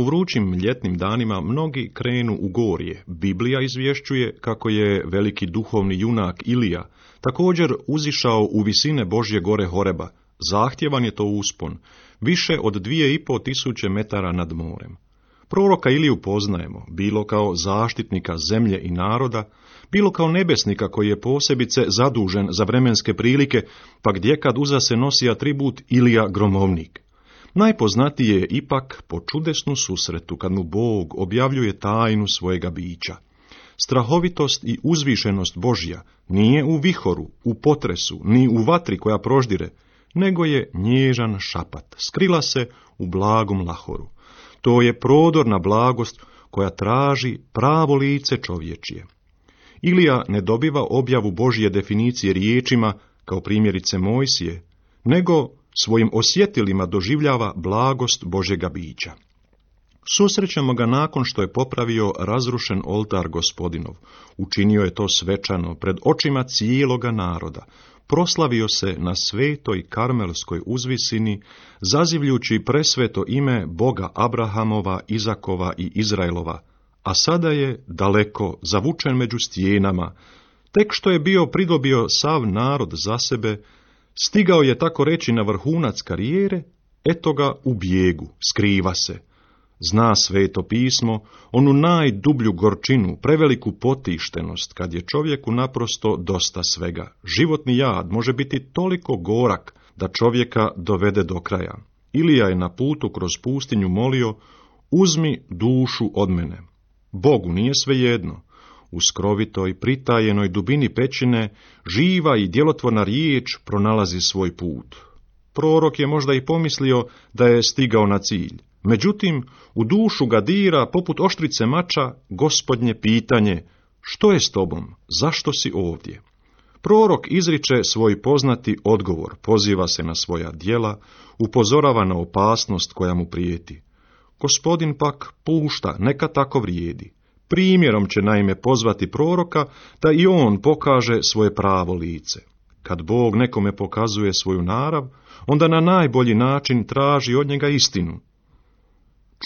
U vrućim ljetnim danima mnogi krenu u gorje. Biblija izvješćuje kako je veliki duhovni junak Ilija također uzišao u visine Božje gore Horeba. Zahtjevan je to uspon, više od 2500 metara nad morem. Proroka Iliju poznajemo, bilo kao zaštitnika zemlje i naroda, bilo kao nebesnika koji je posebice zadužen za vremenske prilike, pa gdje kad uza se nosi atribut Ilija gromovnik. Najpoznatije je ipak po čudesnu susretu kad mu Bog objavljuje tajnu svojega bića. Strahovitost i uzvišenost Božja nije u vihoru, u potresu, ni u vatri koja proždire, nego je nježan šapat, skrila se u blagom lahoru. To je prodorna blagost koja traži pravo lice čovječije. Ilija ne dobiva objavu Božje definicije riječima, kao primjerice Mojsije, nego svojim osjetilima doživljava blagost Božjega bića. Susrećemo ga nakon što je popravio razrušen oltar Gospodinov. Učinio je to svečano pred očima cijeloga naroda. Proslavio se na svetoj karmelskoj uzvisini, zazivljući presveto ime Boga Abrahamova, Izakova i Izraelova, a sada je daleko zavučen među stijenama. Tek što je bio pridobio sav narod za sebe, stigao je tako reći na vrhunac karijere, eto ga u bijegu, skriva se. Zna sveto pismo, onu najdublju gorčinu, preveliku potištenost, kad je čovjeku naprosto dosta svega. Životni jad može biti toliko gorak da čovjeka dovede do kraja. Ilija je na putu kroz pustinju molio, uzmi dušu od mene. Bogu nije svejedno. U skrovitoj, pritajenoj dubini pećine, živa i djelotvorna riječ pronalazi svoj put. Prorok je možda i pomislio da je stigao na cilj. Međutim, u dušu ga dira, poput oštrice mača, Gospodnje pitanje, što je s tobom, zašto si ovdje? Prorok izriče svoj poznati odgovor, poziva se na svoja djela, upozorava na opasnost koja mu prijeti. Gospodin pak pušta, neka tako vrijedi. Primjerom će naime pozvati proroka da i on pokaže svoje pravo lice. Kad Bog nekome pokazuje svoju narav, onda na najbolji način traži od njega istinu.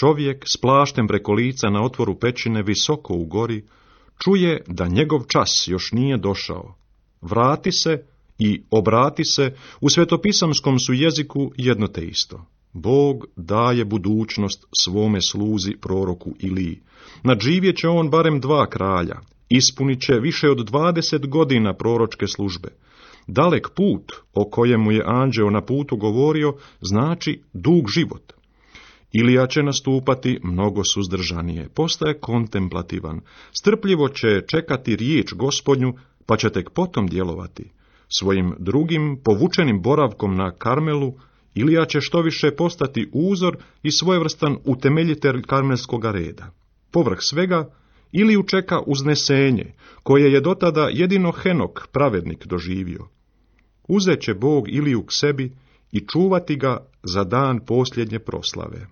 Čovjek s plaštem preko lica na otvoru pećine visoko u gori čuje da njegov čas još nije došao. Vrati se i obrati se, u svetopisamskom su jeziku jedno te isto. Bog daje budućnost svome sluzi proroku Iliji. Nadživjet će on barem 2 kralja, ispunit će više od 20 godina proročke službe. Dalek put o kojemu je anđeo na putu govorio znači dug život. Ilija će nastupati mnogo suzdržanije, postaje kontemplativan, strpljivo će čekati riječ Gospodnju, pa će tek potom djelovati. Svojim drugim povučenim boravkom na Karmelu, Ilija će štoviše postati uzor i svojevrstan utemeljitelj karmelskoga reda. Povrh svega, Iliju čeka uznesenje, koje je dotada jedino Henok, pravednik, doživio. Uzet će Bog Iliju k sebi i čuvati ga za dan posljednje proslave.